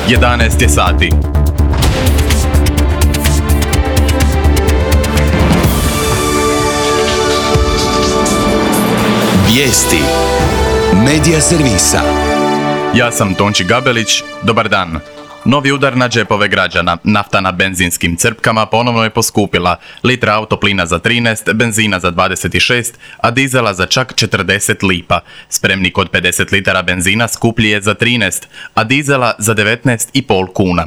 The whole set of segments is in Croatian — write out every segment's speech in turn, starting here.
11 je sati. Vijesti Medija servisa. Ja sam Tonči Gabelić, dobar dan. Novi udar na džepove građana. Nafta na benzinskim crpkama ponovno je poskupila. Litra autoplina za 13, benzina za 26, a dizela za čak 40 lipa. Spremnik od 50 litara benzina skuplji je za 13, a dizela za 19,5 kuna.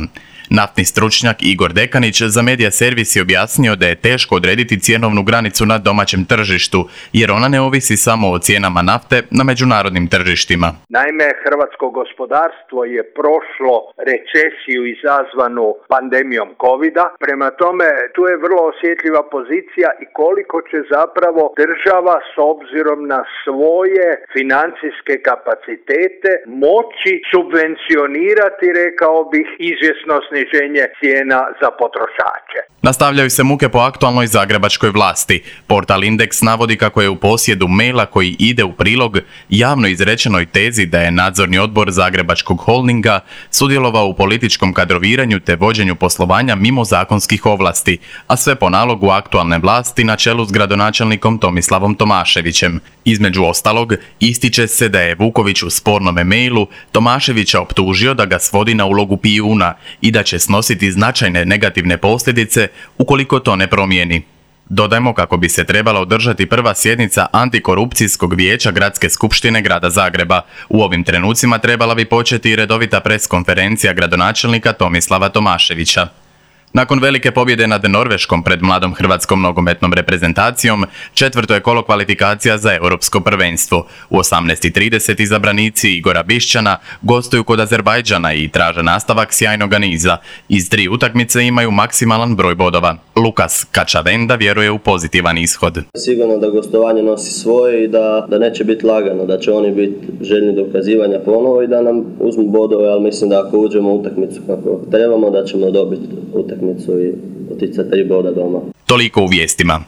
Naftni stručnjak Igor Dekanić za Medija servis je objasnio da je teško odrediti cjenovnu granicu na domaćem tržištu, jer ona ne ovisi samo o cijenama nafte na međunarodnim tržištima. Naime, hrvatsko gospodarstvo je prošlo recesiju izazvanu pandemijom covida, prema tome tu je vrlo osjetljiva pozicija i koliko će zapravo država s obzirom na svoje financijske kapacitete moći subvencionirati, rekao bih, izvjesno sniženje cijena za potrošače. Nastavljaju se muke po aktualnoj zagrebačkoj vlasti. Portal Indeks navodi kako je u posjedu maila koji ide u prilog javno izrečenoj tezi da je nadzorni odbor Zagrebačkog holdinga sudjelovao u političkom kadroviranju te vođenju poslovanja mimo zakonskih ovlasti, a sve po nalogu aktualne vlasti na čelu s gradonačelnikom Tomislavom Tomaševićem. Između ostalog, ističe se da je Vuković u spornome mailu Tomaševića optužio da ga svodi na ulogu pijuna i da će snositi značajne negativne posljedice ukoliko to ne promijeni. Dodajmo kako bi se trebala održati prva sjednica Antikorupcijskog vijeća Gradske skupštine Grada Zagreba. U ovim trenucima trebala bi početi i redovita preskonferencija gradonačelnika Tomislava Tomaševića. Nakon velike pobjede nad Norveškom pred mladom hrvatskom nogometnom reprezentacijom, četvrto je kolo kvalifikacija za europsko prvenstvo. U 18:30 izabranici Igora Bišćana gostuju kod Azerbajdžana i traže nastavak sjajnoga niza. Iz 3 utakmice imaju maksimalan broj bodova. Lukas Kačavenda vjeruje u pozitivan ishod. Sigurno da gostovanje nosi svoje i da neće biti lagano, da će oni biti željni dokazivanja ponovo i da nam uzmu bodove, ali mislim da ako uđemo u utakmicu kako trebamo, da ćemo dobiti utakmicu i otići sa 3 boda doma. Toliko u vijestima.